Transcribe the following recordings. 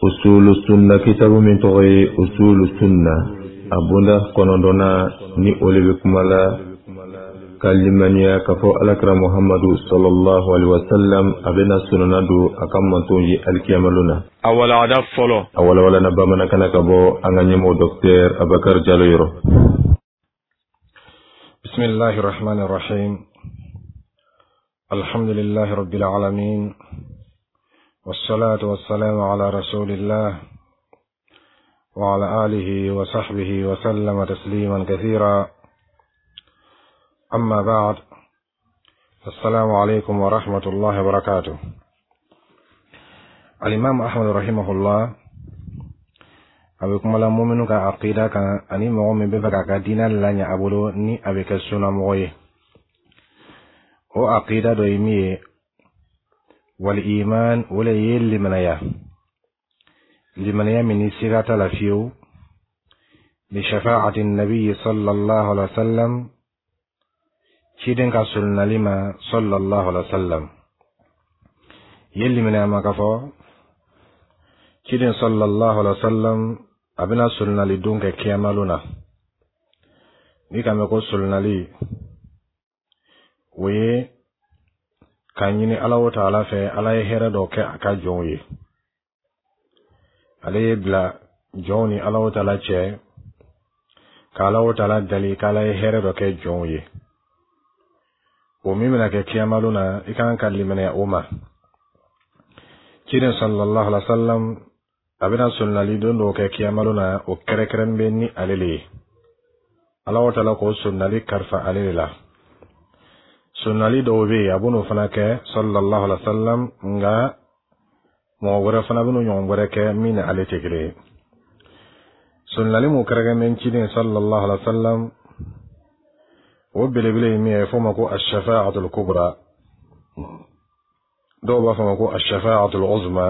Usulu Sunna kitabu min tɔgɔ ye Usulu Sunna, a bonda 9nan, ni o le bɛ kuma la ka limaniya k'a fɔ Alakira Muhamadu sallallahu alaihi wasallam, a bɛna sɔnna don a ka mantonw ye alikiyama na. A walawada fɔlɔ. A walawalana bamanankan na ka bɔ an ka ɲɛmɔgɔ Docteur Abakar Jalo yɔrɔ. بسم الله الرحمن الرحيم، الحمد لله رب العالمين، والصلاة والسلام على رسول الله وعلى آله وصحبه وسلم تسليما كثيرا، أما بعد، السلام عليكم ورحمة الله وبركاته. الإمام أحمد رحمه الله a bɛ kuma la muminu ka aqida kan ani mɔgɔ min bɛ fɛ k'a ka diinɛ laɲɛ a bolo ni a bɛ kɛ sunnamɔgɔ ye. O aqida dɔ ye min ye, wal iman, o le ye limanaya, limanaya min ni siga t'a la fiyewu, bi shafaati nabi sallallahu alaihi wa sallam, ciden ka solonali ma sallallahu alaihi wa sallam. Ye limanaya ma k'a fɔ ciden sallallahu alaihi wa sallam a bɛna solonali don kɛ kiyamalon na. Ni ka mɛn ko solonali, o ye k'a ɲini Ala o taala fɛ, Ala ye hɛrɛ dɔ kɛ a ka jɔnw ye, ale ye bila jɔnw ni Ala o taala cɛ, k'Ala o taala dali k'Ala ye hɛrɛ dɔ kɛ jɔnw ye. O min bɛna kɛ kiyamalon na, i kan ka limaniya o ma. Ciden sallallahu alaihi wa sallam a bɛna solonali don dɔw kɛ kiyamalon na, o kɛrɛkɛrɛn bɛ ni ale le ye. Ala o taala k'o solonali kalifa ale de la. Solonali dɔw bɛ yen, a b'o fana kɛ sallallahu alaihi wa sallam, nka mɔgɔ wɛrɛ fana bɛn'o ɲɔgɔn wɛrɛ kɛ min ni ale tɛ kelen ye. Solonali mun kɛrɛkɛrɛn bɛ ciden sallallahu alaihi wa sallam, o belebele ye min ye, f'o ma ko ashafa'atul kubra, dɔw b'a fɔ ma ko ashafa'atul uzma,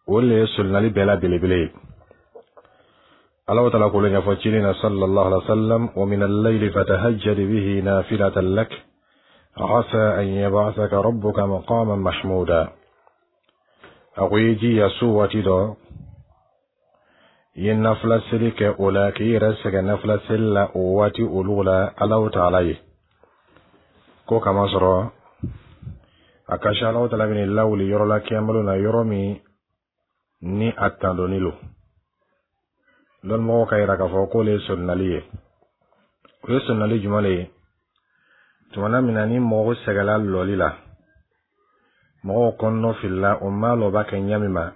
o le ye solonali bɛɛ la belebele ye. Ala taala k'o ɲɛfɔ ciden na sallallahu alaihi wa sallam: wa min al-layli fatahajjad bihi nafilatan lak asa an yab'athaka rabbuka maqaman mahmuda. A ko i jija su waati dɔ, i ye nafila seli kɛ o la, k'i yɛrɛ sɛgɛn nafila seli la o waati olu la Ala taala ye, ko kama sɔrɔ a ka se Ala taala bɛna lawuli yɔrɔ la kiyamalo na, yɔrɔ min ni a tandoni lo. Lɔnmɔgɔw ka yira k'a fɔ k'o le ye solonali ye. O ye solonali jumɛn le ye? Tumana min na ni mɔgɔw sɛgɛla lɔli la, mɔgɔw kɔnɔnɔ filila, o ma lɔ b'a kɛ ɲɛ min ma,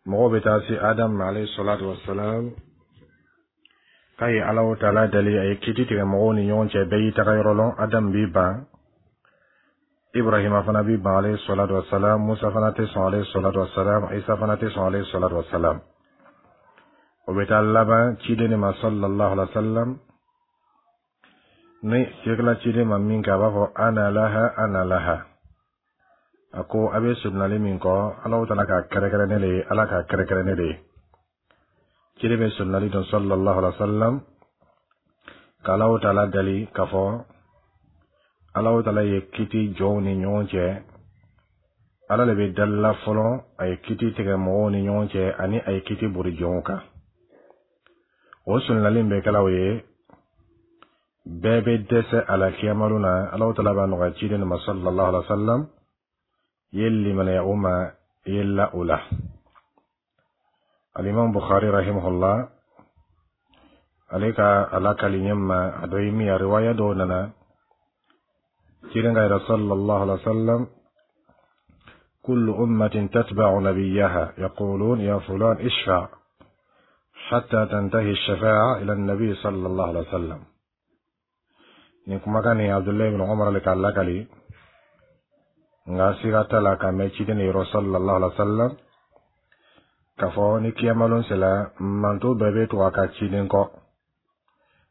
mɔgɔw bɛ taa se Adamu ma alayhi salatu wasalam, k'a ye Ala taala dali a ye kiti tigɛ mɔgɔw ni ɲɔgɔn cɛ, bɛɛ y'i taga yɔrɔ lɔn. Adamu b'i ban, Ibrahima fana b'i ban alayhi salatu wasalam, Musa fana tɛ sɔn alayhi salatu wasalam, Isa fana tɛ sɔn alayhi salatu wasalam. O bɛ taa laban ciden de ma sallallahu alaihi wa sallam. Ni sekala ciden ma min kɛ, a b'a fɔ: ana laha, ana laha. A ko a bɛ solonali min kɔ, Ala taala k'a kɛrɛkɛrɛ ne de ye, Ala k'a kɛrɛkɛrɛ ne de ye. Ciden bɛ solonali dɔn sallallahu alaihi wa sallam, k'Ala taala dali k'a fɔ Ala taala ye kiti jɔnw ni ɲɔgɔn cɛ. Ala de bɛ dalila fɔlɔ, a ye kiti tigɛ mɔgɔw ni ɲɔgɔn cɛ ani a ye kiti bori jɔnw kan. O solonali bɛ kɛla o ye, bɛɛ bɛ dɛsɛ a la kiyamalo na. Ala taala b'a nɔgɔya ciden ma sallallahu alaihi wa sallam, i ye limaniya o ma, i ye la o la. Alimam Bukhari rahimahullah, ale ka a lakali ɲɛ ma, a dɔ ye min ye, riwaya dɔw nana ciden ka yɛrɛ sallallahu alaihi wa sallam: كل أمة تتبع نبيها، يقولون: يا فلان اشفع، حتى تنتهي الشفاعة إلى النبي صلى الله عليه وسلم. Nin kumakan nin, Abdullahi ibn Umar le k'a lakali, nka siga t'a la k'a mɛn ciden yɔrɔ sallallahu alaihi wa sallam, k'a fɔ ni kiyamalon sera, manto bɛɛ bɛ to a ka ciden kɔ: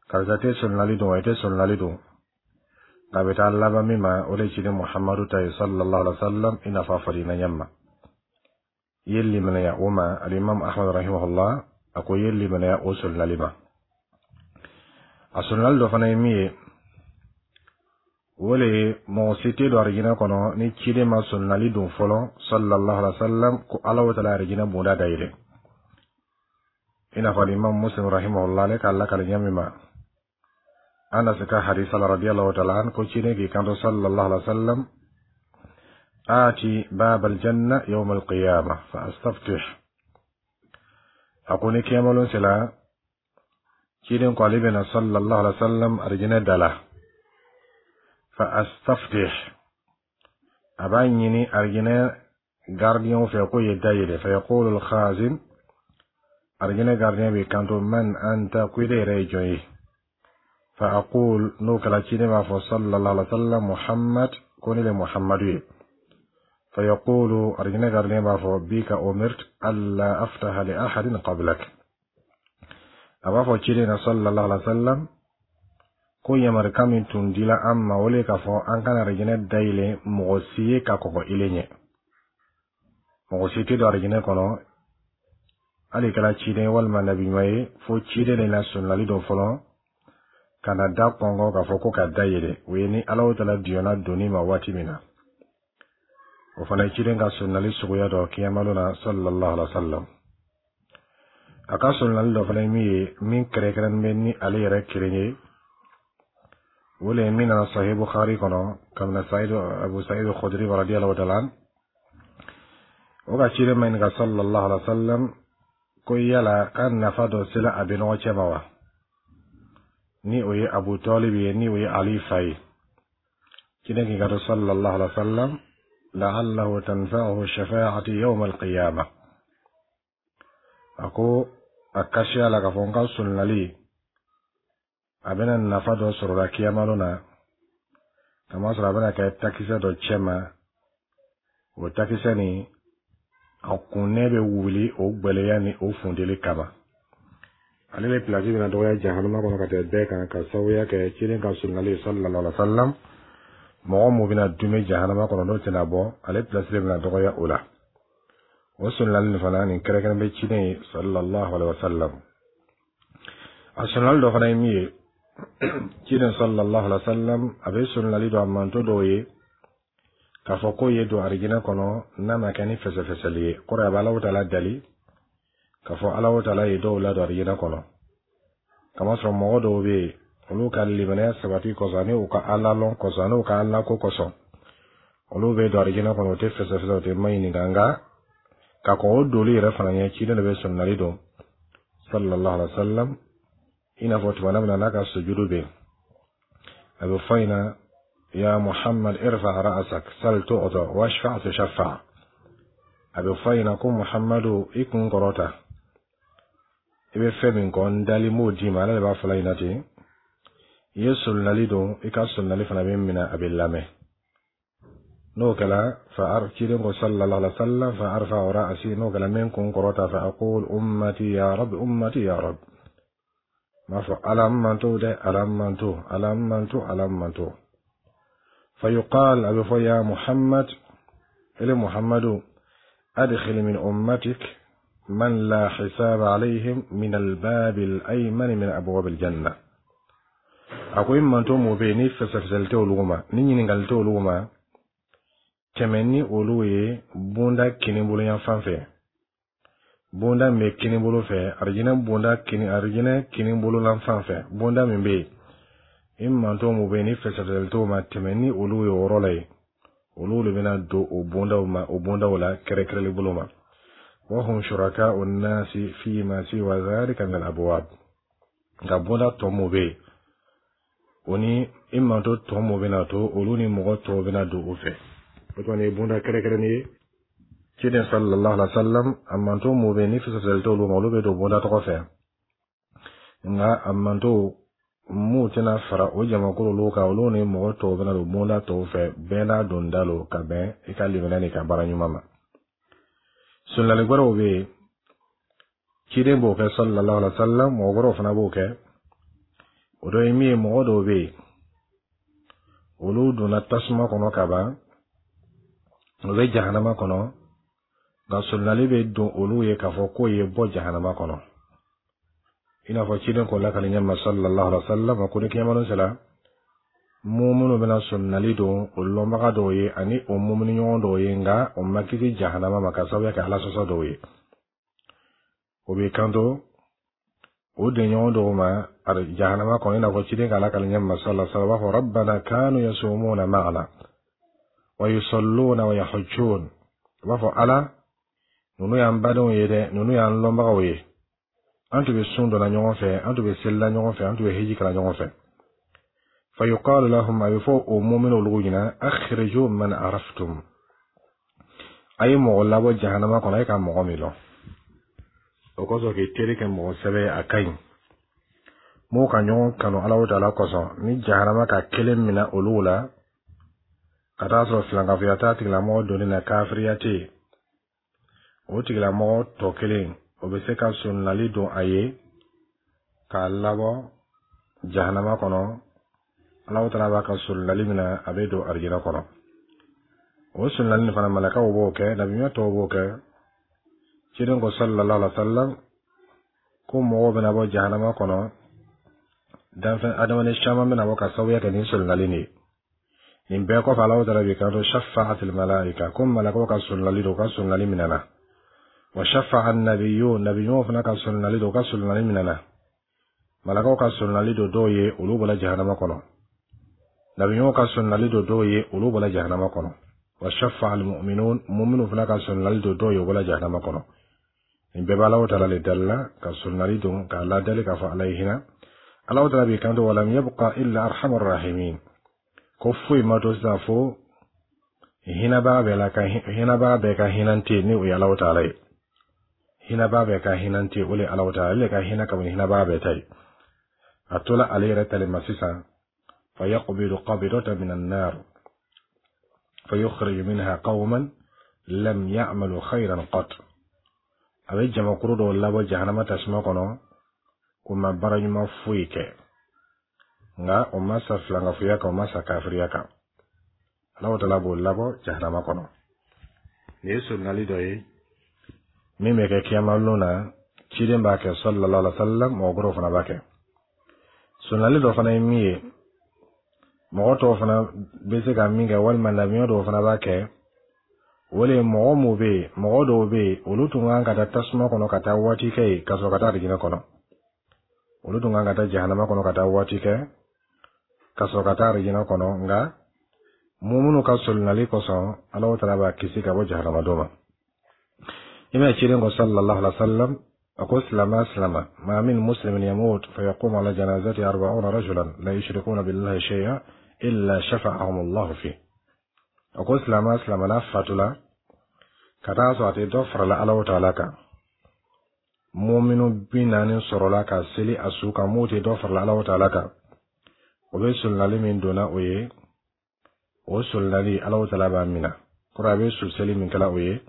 karisa tɛ solonali dɔn, i tɛ solonali dɔn. Nka a bɛ taa laban min ma, o de ye ciden Muhammadu ta ye sallallahu alaihi wa sallam, i n'a fɔ a fɔra i na ɲɛ ma, i ye limaniya o ma. Alimam Ahmad rahimahullah a ko i ye limaniya o solonali ma. A solonali dɔ fana ye min ye, O le ye mɔgɔ si tɛ don arijinɛ kɔnɔ ni ciden ma solonali don fɔlɔ sallallahu alaihi wa sallam ko Ala taala arijinɛ bonda dayɛlɛ. I n'a fɔ Imam Muslim rahimahullah ale k'a lakali ɲɛ min ma Anas ka hadisa la radiyallahu ta'ala an ko ciden k'i kanto sallallahu alaihi wa sallam آتي باب الجنة يوم القيامة فأستفتح. A ko ni kiyamalon sela, ciden ko ale bɛna sallallahu alaihi wa sallam arijinɛ da la fa astaftih, a b'a ɲini arijinɛ gardien fɛ k'o ye da yɛlɛ. Fa yaqulu al-khazin, arijinɛ gardien bɛ kanto man anta, ko i yɛrɛ ye jɔn ye? Fa aqul, n'o kɛla ciden b'a fɔ sallallahu alaihi wa sallam Muhammad, ko ne le Muhammadu ye. Fa yaqulu, arijinɛ gardien b'a fɔ bika umirt alla aftaha li ahadin qablak. A b'a fɔ ciden na sallallahu alaihi wa sallam ko yamarukan min tun dila an ma, o le k'a fɔ an kana arijinɛ dayɛlɛ mɔgɔ si ye ka kɔgɔ ile ɲɛ. Mɔgɔ si tɛ don arijinɛ kɔnɔ, hali kɛra ciden walima nabiɲuman ye, fo ciden de na sɔnnali dɔ fɔlɔ ka na da kɔngɔ k'a fɔ ko ka dayɛlɛ. O ye ni Ala taala diyɔnna donni ma waati min na. O fana ye ciden ka sɔnnali suguya dɔ kiyamalo na sallallahu alaihi wa sallam. A ka sɔnnali dɔ fana ye min ye, min kɛrɛnkɛrɛnnen bɛ ni ale yɛrɛ kelen ye, o le ye min nana Sahih Bukhari kɔnɔ kabini Saïd Abu Saïd Khudri radiyallahu ta'ala o ka ciden ma ɲininka sallallahu alaihi wa sallam ko yala k'a nafa dɔ sela a bɛ ɲɔgɔn cɛ ma wa, ni o ye Abu Talib ye, ni o ye Ali fa ye. Ciden k'i ka to sallallahu alaihi wa sallam la'allahu tanfa'uhu shafa'ati yawm al-qiyamah. A ko a kasiya la k'a fɔ n ka solonali a bɛna nafa dɔ sɔrɔ la kiyamalo na, kamasɔrɔ a bɛna kɛ takisɛ dɔ cɛ ma, o takisɛ nin a kunnɛ bɛ wuli o gwɛlɛya ni o funteli kama. Ale bɛ pilasi bɛna dɔgɔya jahanama kɔnɔ ka tɛmɛ bɛɛ kan ka sababuya kɛ ciden ka solonali sallallahu alaihi wa sallam. Mɔgɔ mun bɛna dume jahanama kɔnɔ n'o tɛna bɔ, ale pilasi de bɛna dɔgɔya o la. O solonali nin fana nin kɛrɛnkɛrɛn bɛ ciden ye sallallahu alaihi wa sallam. A solonali dɔ fana ye min ye, ciden sallallahu alaihi wa sallam a bɛ solonali dɔ a manto dɔw ye k'a fɔ k'o ye don arijinɛ kɔnɔ n'a ma kɛ ni fɛsɛfɛsɛli ye. Kɔrɔ a bɛ Alahu taala dali k'a fɔ Alahu taala ye dɔw ladon arijinɛ kɔnɔ, kamasɔrɔ mɔgɔ dɔw bɛ yen, olu ka limaniya sabati kosɔn ani u ka Ala lɔn kosɔn ani u ka Ala ko kosɔn, olu bɛ don arijinɛ kɔnɔ, u tɛ fɛsɛfɛsɛ, u tɛ maɲininka. Nka ka kɔn o doli yɛrɛ fana ɲɛ, ciden de bɛ solonali don sallallahu alaihi wa sallam. I n'a fɔ tuma min na n'a ka sujudu bɛ yen, a bɛ fɔ in na ya Muhammad irfa ra'sak sal tu'ta washfa' tushaffa. A bɛ fɔ in na ko Muhammadu, i kun kɔrɔta, i bɛ fɛn min kɔ n dali m'o d'i ma. Ala de b'a fɔla in na ten, i ye solonali don, i ka solonali fana bɛ minɛ, a bɛ lamɛn. N'o kɛla fa ciden ko sallallahu alaihi wa sallam fa arfa ra'si, n'o kɛla n bɛ n kun kɔrɔta fa aqul ummati ya rab, ummati ya rab, n b'a fɔ Ala n manto dɛ, Ala n manto, Ala n manto, Ala n manto. Fa yuqal, a bɛ fɔ ya Muhammad, ele Muhammadu, adkhil min ummatik man la hisaba alayhim min albab al-ayman min abwab al-janna. A ko i manto mun bɛ yen ni fɛsɛfɛsɛli tɛ olu ma, ni ɲininkali tɛ olu ma, tɛmɛ ni olu ye bonda kinibolo yan fan fɛ, bonda min bɛ kinibolo fɛ, arijinɛ bonda kini, arijinɛ kinibolo lan fan fɛ, bonda min bɛ yen, i manto mun bɛ yen ni fɛsɛfɛsɛli t'o ma, tɛmɛ ni olu ye o yɔrɔ la yen. Olu de bɛna don o bondaw ma, o bondaw la kɛrɛkɛrɛli bolo ma. Wahum shuraka'u nasi fima siwa dhalika min al-abwab. Nka bonda tɔ mun bɛ yen, o ni i manto tɔ mun bɛna to, olu ni mɔgɔ tɔw bɛna don o fɛ. O kɔni ye bonda kɛrɛnkɛrɛnnen ye. Ciden sallallahu alaihi wa sallam a manto mun bɛ yen ni fɛsɛfɛsɛli t'olu ma, olu bɛ don bonda tɔgɔ fɛ. Nka a manto mun tɛna fara o jamakulu olu kan, olu ni mɔgɔ tɔw bɛna don bonda tɔw fɛ. Bɛɛ n'a don da lo ka bɛn i ka limaniya n'i ka baara ɲuman ma. Solonali wɛrɛw bɛ yen, ciden b'o kɛ sallallahu alaihi wa sallam, mɔgɔ wɛrɛw fana b'o kɛ. O dɔ ye min ye, mɔgɔ dɔw bɛ yen, olu donna tasuma kɔnɔ ka ban, u bɛ jahanama kɔnɔ, nka solonali bɛ don olu ye k'a fɔ k'o ye bɔ jahanama kɔnɔ. I n'a fɔ ciden k'o lakali ɲɛ ma sallallahu alaihi wa sallam ko ni kiyamalon sera. Mumunu bɛna solonali don o lɔnbaga dɔw ye ani o mumuni ɲɔgɔn dɔw ye, nka o ma kisi jahanama ma ka sababuya kɛ Ala sɔsɔ dɔw ye. O b'i kanto o denɲɔgɔn dɔw ma jahanama kɔnɔ, i n'a fɔ ciden k'a lakali ɲɛ ma sallallahu alaihi wa sallam, b'a fɔ: "Rabbana kanu yasumuna ma'ana wa yusalluna wa yahujjun." U b'a fɔ: "Ala, ninnu y'an badenw ye dɛ, ninnu y'an lɔnbagaw ye, an tun bɛ sun donna ɲɔgɔn fɛ, an tun bɛ selila ɲɔgɔn fɛ, an tun bɛ hiji kɛla ɲɔgɔn fɛ." Fayuqalu lahum, a bɛ fɔ o muminu olu ɲɛna: "Akhriju man araftum", a ye mɔgɔ labɔ jahanama kɔnɔ, a ye ka mɔgɔ min lɔn. O kosɔn, k'i teri kɛ mɔgɔ sɛbɛ ye, a ka ɲi. M'o ka ɲɔgɔn kanu Alahu taala kosɔn, ni jahanama ka kelen minɛ olu la ka taa sɔrɔ filankafoya t'a tigilamɔgɔ donni na, kafiriya tɛ yen, o tigilamɔgɔ tɔ kelen, o bɛ se ka solonali don a ye k'a labɔ jahanama kɔnɔ. Alahu taala b'a ka solonali minɛ, a bɛ don arijinɛ kɔnɔ. O solonali nin fana, malakaw b'o kɛ, nabiɲuman tɔw b'o kɛ. Ciden ko sallallahu alaihi wa sallam ko mɔgɔw bɛna bɔ jahanama kɔnɔ, danfɛn adamaden caman bɛna bɔ ka sababuya kɛ nin solonali nin ye. Nin bɛɛ kɔfɛ, Alahu taala b'i kanto: "Shafa'atil malaika", ko malakaw ka solonali don, u ka solonali minɛna. "Wa shafa'a nabiyun", nabiɲumanw fana ka solonali don, u ka solonali minɛna. Malakaw ka solonali don dɔw ye, olu bɔra jahanama kɔnɔ. Nabiɲumanw ka solonali don dɔw ye, olu bɔra jahanama kɔnɔ. "Wa shafa'a almu'minun", mu'minu fana ka solonali don dɔw ye, u bɔra jahanama kɔnɔ. Nin bɛɛ bɛ Alahu taala le dalila ka solonali don k'a ladali k'a fɔ Ala ye hinɛ. Alahu taala b'i kanto: "Walam yabqa illa arhamar rahimin", ko foyi ma to sisan fo hinɛbaga bɛɛ la ka hinɛbaga bɛɛ ka hinɛ tɛ ni o ye Alahu taala ye. Hinɛbaga bɛɛ ka hinɛ tɛ, o le ye Alahu taala, ale ka hinɛ ka bon ni hinɛbaga bɛɛ ta ye. A tola ale yɛrɛ tali ma sisan: "Fayaqbidu qabidatan min annar fayukhriju minha qawman lam ya'malu khayran qat." A bɛ jamakuru dɔw labɔ jahanama tasuma kɔnɔ, o ma baara ɲuman foyi kɛ, nka o ma sa filankafoya kan, o ma sa kafiriya kan. Alahu taala b'o labɔ jahanama kɔnɔ. Nin ye solonali dɔ ye min bɛ kɛ kiyamalon na. Ciden b'a kɛ sallallahu alaihi wa sallam, mɔgɔ wɛrɛw fana b'a kɛ. Solonali dɔ fana ye min ye, mɔgɔ tɔw fana bɛ se ka min kɛ, walima nabiɲɔ dɔw fana b'a kɛ, o de ye mɔgɔ mun bɛ yen, mɔgɔ dɔw bɛ yen, olu tun kan ka taa tasuma kɔnɔ ka taa waati kɛ yen ka sɔrɔ ka taa arijinɛ kɔnɔ. Olu tun kan ka taa jahanama kɔnɔ ka taa waati kɛ ka sɔrɔ ka taa arijinɛ kɔnɔ, nka mumunu ka solonali kosɔn, Alahu taala b'a kisi ka bɔ jahanama dɔ ma. I ma ciden ko sallallahu alaihi wa sallam, a ko silama silama: "Ma min muslimin yamut fa yaqumu ala janazati 40 rajulan la yushrikuna billahi shay'a illa shafa'ahum Allahu fi." A ko silama silama n'a fatula ka taa sɔrɔ a tɛ dɔ farala Alahu taala kan, muminu 40 sɔrɔla ka seli a su kan, m'o tɛ dɔ farala Alahu taala kan, o bɛ solonali min donna o ye, o solonali, Alahu taala b'a minɛ. Kɔrɔ, a bɛ su seli min kɛla o ye,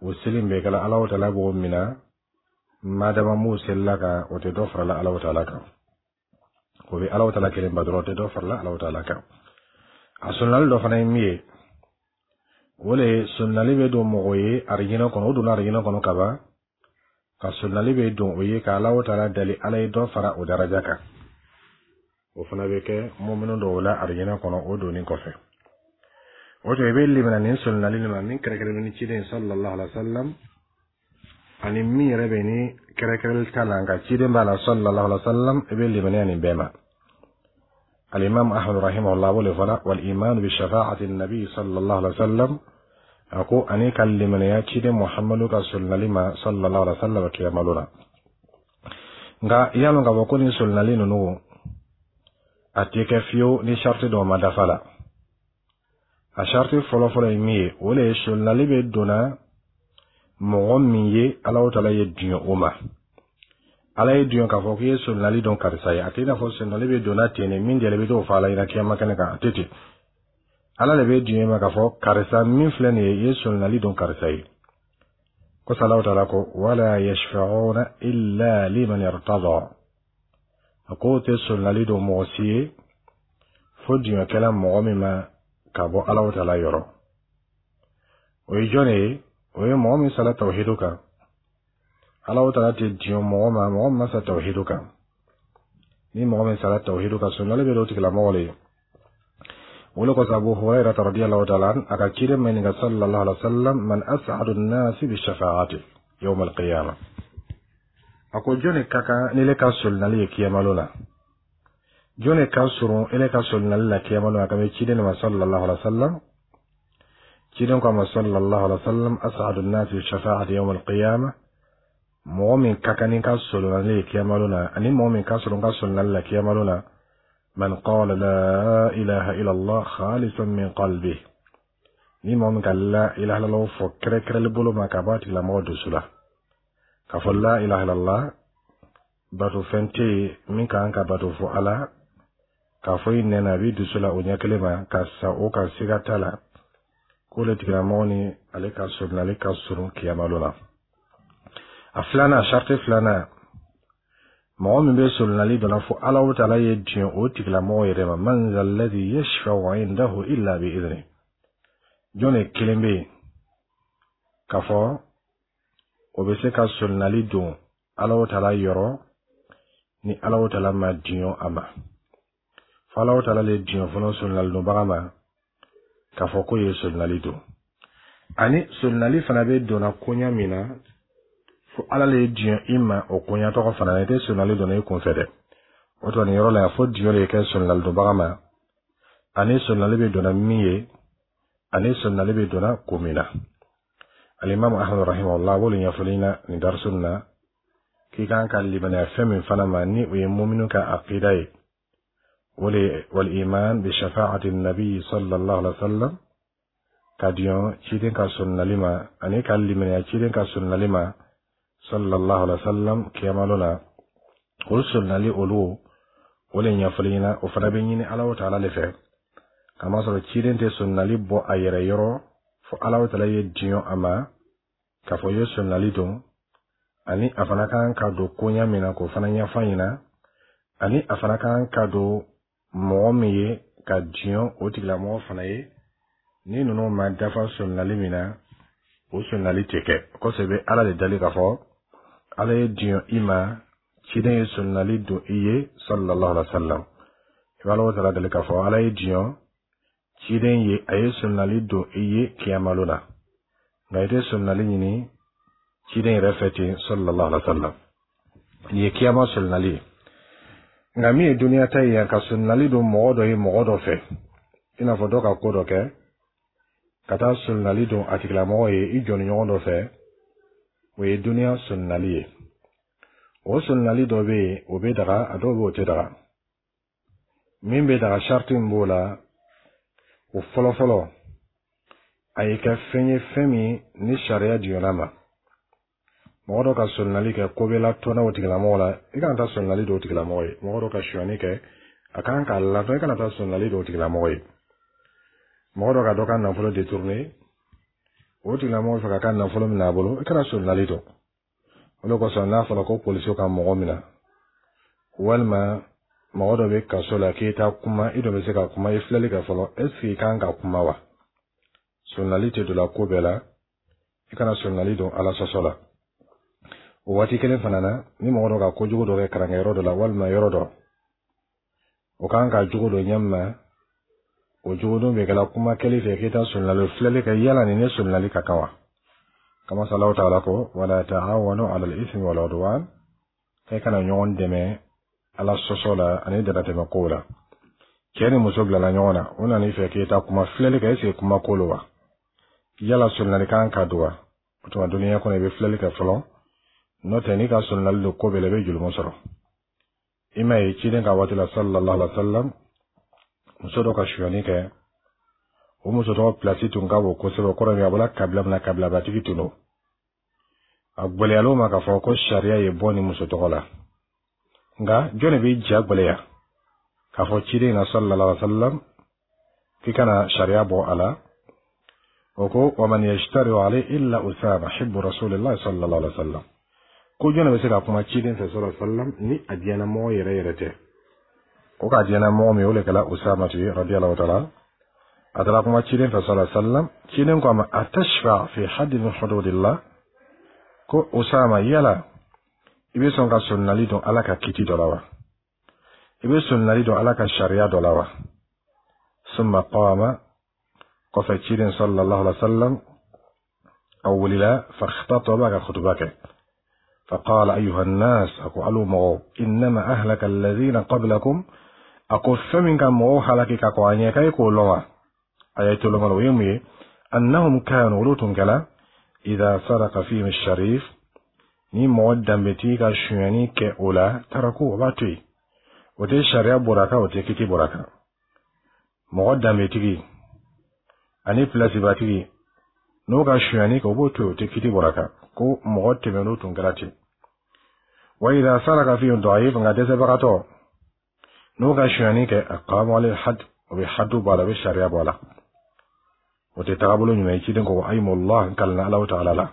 o seli min bɛ kɛla, Alahu taala b'o minɛ, madama m'o selila kan, o tɛ dɔ farala Alahu taala kan, o bɛ Alahu taala kelen ba dɔrɔn, o tɛ dɔ farala Alahu taala kan. A solonali dɔ fana ye min ye, o le ye solonali bɛ don mɔgɔ ye arijinɛ kɔnɔ, o donna arijinɛ kɔnɔ kaban, ka solonali bɛ don o ye ka Alahu taala dali Ala ye dɔ fara o daraja kan. O fana bɛ kɛ mɔminu dɔw la arijinɛ kɔnɔ o donni kɔfɛ. O tuma, i bɛ limana nin solonali nin ma min kɛrɛnkɛrɛnnen ni ciden sallallahu alaihi wa sallam, ani min yɛrɛ bɛ ni kɛrɛnkɛrɛnli t'a la, nka ciden b'a la sallallahu alaihi wa sallam, i bɛ limaniya nin bɛɛ ma. Alimami Ahmad rahimahullah b'o de fɔla: "Wal iman bi shafaati nabi sallallahu alaihi wa sallam." A ko ani ka limaniya ciden Muhammadu ka solonali ma sallallahu alaihi wa sallam kiyamalo la. Nka i y'a lɔn k'a fɔ ko nin solonali ninnu, a tɛ kɛ fiyewu ni sariti dɔw ma dafa la. A sariti fɔlɔfɔlɔ ye min ye, o le ye solonali bɛ donna mɔgɔ min ye, Alahu taala ye diɲɛ o ma. Ala ye diɲɛ k'a fɔ k'i ye solonali dɔn karisa ye. A tɛ i n'a fɔ solonali bɛ donna ten de, min jɛlen bɛ t'o fɔ Ala ɲɛna kiyama kɛnɛ kan, a tɛ ten. Ala de bɛ diɲɛ ma k'a fɔ karisa min filɛ nin ye, i ye solonali dɔn karisa ye. Ko Alahu taala ko: "Wala yashfa'una illa liman irtada." A ko tɛ solonali don mɔgɔ si ye fo diɲɛkɛla mɔgɔ min ma ka bɔ Alahu taala yɔrɔ. O ye jɔn de ye? O ye mɔgɔ min sara tawhidu kan. Alahu taala tɛ diɲɛ mɔgɔ ma, mɔgɔ min ma sa tawhidu kan. Ni mɔgɔ min sara tawhidu kan, solonali bɛ don o tigilamɔgɔ de ye. O le kosɔn, Abu Hurairah radiyallahu ta'ala a ka ciden ma ɲininka sallallahu alaihi wa sallam: man as'adu nnasi bi shafaati yawm al-qiyamah? A ko jɔnni ka kan ni ne ka solinali ye kiyamalo la? Jɔnni ka surun ele ka solinali la kiyamalo la? A ka bɛ ciden ma sallallahu alaihi wa sallam. Ciden ko a ma sallallahu alaihi wa sallam: as'adu nnasi bi shafaati yawm al-qiyamah, mɔgɔ min ka kan ni ka solinali ye kiyamalo la, ani mɔgɔ min ka surun ka solinali la kiyamalo la, man qala la ilaha illallah khalisan min qalbi, ni mɔgɔ min ka la ilaha illallah fɔ kɛrɛkɛrɛli bolo ma ka bɔ a tigilamɔgɔ dusu la, k'a fɔ la ilaha illallah, bato fɛn tɛ yen min kan ka bato fo Ala, k'a fɔ i nɛn na, a b'i dusu la o ɲɛ kelen ma, ka sa o kan siga t'a la, k'o le tigilamɔgɔ ni ale ka surun, ale ka surun kiyamalo la. A filanan, sariti filanan, mɔgɔ min bɛ solinali dɔ la, fo Ala taala ye diɲɛ o tigilamɔgɔ yɛrɛ ma. Man zalladhi yashfa'u indahu illa bi idhni? Jɔn de kelen bɛ yen k'a fɔ o bɛ se ka solinali don Ala taala yɔrɔ ni Ala taala ma diɲɛ a ma? Fo Ala taala le diɲɛ fɔlɔ solinali donbaga ma k'a fɔ k'o ye solinali don. Ani solinali fana bɛ donna koɲa min na, fo Ala le ye diɲɛ i ma o koɲa tɔgɔ fana na. I tɛ solinali donna i kun fɛ dɛ. O tuma, nin yɔrɔ la yan, fo diɲɛ de kɛ solinali donbaga ma, ani solinali bɛ donna min ye, ani solinali bɛ donna ko min na. Alimami Ahmad rahimahullah b'olu ɲɛfɔli na nin darisu na, k'i kan ka limaniya fɛn min fana ma, ni o ye muminu ka aqida ye, o le wal iman bi shafaati nabi sallallahu alaihi wa sallam, ka diɲɔ ciden ka solinali ma, ani ka limaniya ciden ka solinali ma sallallahu alaihi wa sallam kiyamalo la. O solinali olu, o le ɲɛfɔli ɲɛna. O fana bɛ ɲini Ala taala le fɛ, kamasɔrɔ ciden tɛ solinali bɔ a yɛrɛ yɔrɔ, fo Ala taala ye diɲɔ a ma k'a fɔ i ye solinali don, ani a fana kan ka don koɲa min na, k'o fana ɲɛfɔ ɲɛna, ani a fana kan ka don mɔgɔ min ye, ka diɲɔ o tigilamɔgɔ fana ye. Ni ninnu ma dafa solinali min na, o solinali tɛ kɛ. Kɔsɛbɛ bɛ Ala de dali k'a fɔ Ala ye diɲɔ i ma, ciden ye solinali don i ye sallallahu alaihi wa sallam. I b'a Ala taala dali k'a fɔ Ala ye diɲɔ ciden ye, a ye solinali don i ye kiyamalo la, nka i tɛ solinali ɲini ciden yɛrɛ fɛ ten sallallahu alaihi wa sallam. Nin ye kiyama solinali ye. Nka min ye duniya ta ye yan, ka solinali don mɔgɔ dɔ ye mɔgɔ dɔ fɛ, i n'a fɔ dɔ ka ko dɔ kɛ, ka taa solinali don a tigilamɔgɔ ye i jɔnniɲɔgɔn dɔ fɛ, o ye duniya solinali ye. O solinali dɔ bɛ yen, o bɛ daga, a dɔw bɛ yen, o tɛ daga. Min bɛ daga, sariti min b'o la, o fɔlɔfɔlɔ, a ye kɛ fɛn ye, fɛn min ni sariya jiginna ma. Mɔgɔ dɔ ka solinali kɛ, ko bɛ latɔnna o tigilamɔgɔ la, i kana taa solinali don o tigilamɔgɔ ye. Mɔgɔ dɔ ka sonyani kɛ, a kan k'a latɔn, i kana taa solinali don o tigilamɔgɔ ye. Mɔgɔ dɔ ka dɔ ka nafolo détourné, o tigilamɔgɔ fɛ ka ka nafolo minɛ a bolo, i kana solinali don o. De kosɔn, n'a fɔra ko polisiw ka mɔgɔ minɛ, walima mɔgɔ dɔ bɛ kaso la, k'i ta kuma, i dɔ bɛ se ka kuma, i filɛli kɛ fɔlɔ, est ce que i kan ka kuma wa? Solinali tɛ don la ko bɛɛ la. I kana solinali don Ala sɔsɔ la. O waati kelen fana na, ni mɔgɔ dɔ ka kojugu dɔ kɛ karankɛyɔrɔ dɔ la, walima yɔrɔ dɔ, o kan ka jogo dɔ ɲɛ ma, o jogodon bɛ kɛla kuma kɛli fɛ, k'i ta solinali, filɛli kɛ yala ni ne solinali ka kan wa? Kama Allahu taala ko: wala ta'awanu ala al-ithmi wal udwan, k'e kana ɲɔgɔn dɛmɛ Ala sɔsɔ la ani damatɛmɛ kow la. Cɛ ni muso bilala ɲɔgɔn na, o nana i fɛ k'e ta kuma, filɛli kɛ, est ce que kuma ko lo wa? Yala solinali kan ka don wa? O tuma, duniya kɔnɔ, i bɛ filɛli kɛ fɔlɔ. N'o tɛ, n'i ka solinali don ko bɛɛ la, i bɛ julumu sɔrɔ. I m'a ye, ciden ka waati la sallallahu alaihi wa sallam, muso dɔ ka sonyani kɛ. O muso tɔgɔ pilasi tun ka bon kosɛbɛ. O kɔrɔ ye, a bɔra kabila min na, kabilabatigi tun don. A gwɛlɛyal'o ma k'a fɔ ko sariya ye bɔ ni muso tɔgɔ la. Nka jɔn de bɛ ja gwɛlɛya k'a fɔ ciden na sallallahu alaihi wa sallam k'i kana sariya bɔ a la? O ko: wa man yajtari alayhi illa Usama hibbu rasulillahi sallallahu alaihi wa sallam. Ko jɔn de bɛ se ka kuma ciden fɛ sallallahu alaihi wa sallam ni a diɲɛna mɔgɔ yɛrɛ yɛrɛ tɛ? O k'a diɲɛna mɔgɔ min, o de kɛra Usama ye radiyallahu ta'ala. A taara kuma ciden fɛ sallallahu alaihi wa sallam. Ciden ko a ma: atashfa fi haddi min hududillah? Ko Usama, yala i bɛ sɔn ka solinali don Ala ka kiti dɔ la wa? I bɛ solinali don Ala ka sariya dɔ la wa? Summa qama, kɔfɛ ciden sallallahu alaihi wa sallam a wulila, fakhtaba, ka khutuba kɛ. فقال: أيها الناس، a ko alu mɔgɔw، إنما أهلك الذين قبلكم، a ko fɛn min ka mɔgɔw halaki ka kɔn a ɲɛ k'a ye k'o lɔn wa, a ye toloma, o ye mun ye? أنهم كانوا، olu tun kɛla، إذا سرق فيهم الشريف، ni mɔgɔ danbetigi ka sonyani kɛ o la، تركوه، o b'a to yen, o tɛ sariya bɔra kan, o tɛ kiti bɔra kan. Mɔgɔ danbetigi ani pilasibatigi, n'o ka sonyani kɛ, o b'o to yen, o tɛ kiti bɔra kan, ko mɔgɔ tɛmɛn'o tun kɛra ten. وإذا سرق فيهم الضعيف، nka dɛsɛbagatɔ n'o ka sonyani kɛ، أقاموا عليه الحد، o bɛ hadu bɔ a la, o bɛ sariya bɔ a la. O tɛ tagabolo ɲuman ye. Ciden ko: أيم الله، n kalina Alahu taala la،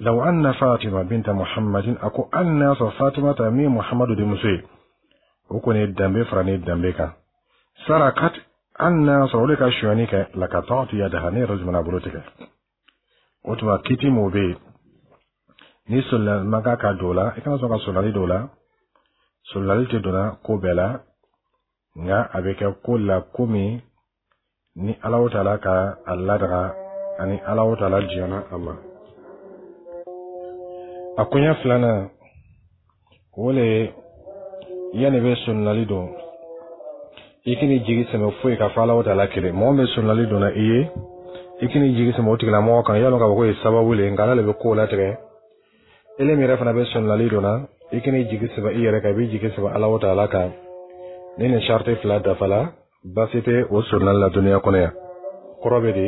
لو أن فاطمة بنت محمد، a ko hali n'a sɔrɔ Fatimata min ye Muhammadu denmuso ye, o kɔni ye danbe fara ni danbe kan، سرقت، hali n'a sɔrɔ o de ka sonyani kɛ، لقطعت يدها، ne yɛrɛ jumɛn bolo tigɛ. O tuma kiti m'o bɛ yen ni solonali man kan ka don o la, i kana sɔn ka solonali don o la. Solonali tɛ donna ko bɛɛ la, nka a bɛ kɛ ko la ko min ni Alahu taala ka a ladaga ani Alahu taala diɲɛna a ma. A koɲɛ filanan, o le ye yanni bɛ solonali don, i k'i jigi sɛmɛ foyi ka fɔ Alahu taala kelen. Mɔgɔ min bɛ solonali donna i ye, i k'i jigi sɛmɛ o tigilamɔgɔ kan, yalɔ k'a fɔ k'o ye sababu le ye, nka Ala le bɛ kow latigɛ. Ele min yɛrɛ fana bɛ solonali donna, i k'i jigi sɛmɛ i yɛrɛ kan, i b'i jigi sɛmɛ Alahu taala kan. Ni nin sariti fila dafala, baasi tɛ o solonali la duniya kɔnɔ yan. Kɔrɔ bɛ di,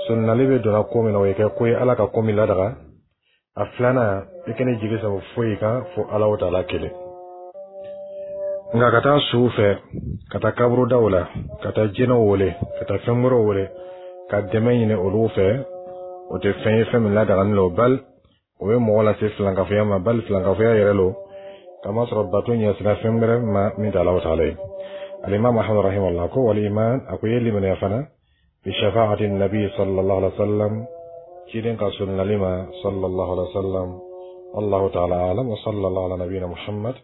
solonali bɛ donna ko min na, o ye kɛ ko ye Ala ka ko min ladaga. A filanan, i kana jigi sɛmɛ foyi kan fo Alahu taala kelen. Nka ka taa suw fɛ, ka taa kaburudaw la, ka taa jinɛw wele, ka taa fɛn wɛrɛw wele ka dɛmɛ ɲini olu fɛ, o tɛ fɛn ye fɛn min ladagani lo, bali o bɛ mɔgɔ lase filankafoya ma, bali filankafoya yɛrɛ lo, kamasɔrɔ bato ɲɛsira fɛn wɛrɛ ma min tɛ Alahu taala ye. الإمام أحمد رحمه الله ko والإيمان، a ko ye limaniya fana، بشفاعة النبي صلى الله عليه وسلم، ciden ka sunnali ma صلى الله عليه وسلم. الله تعالى أعلم، وصلى الله على نبينا محمد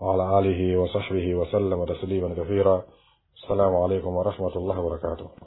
وعلى آله وصحبه وسلم تسليما كثيرا. السلام عليكم ورحمة الله وبركاته.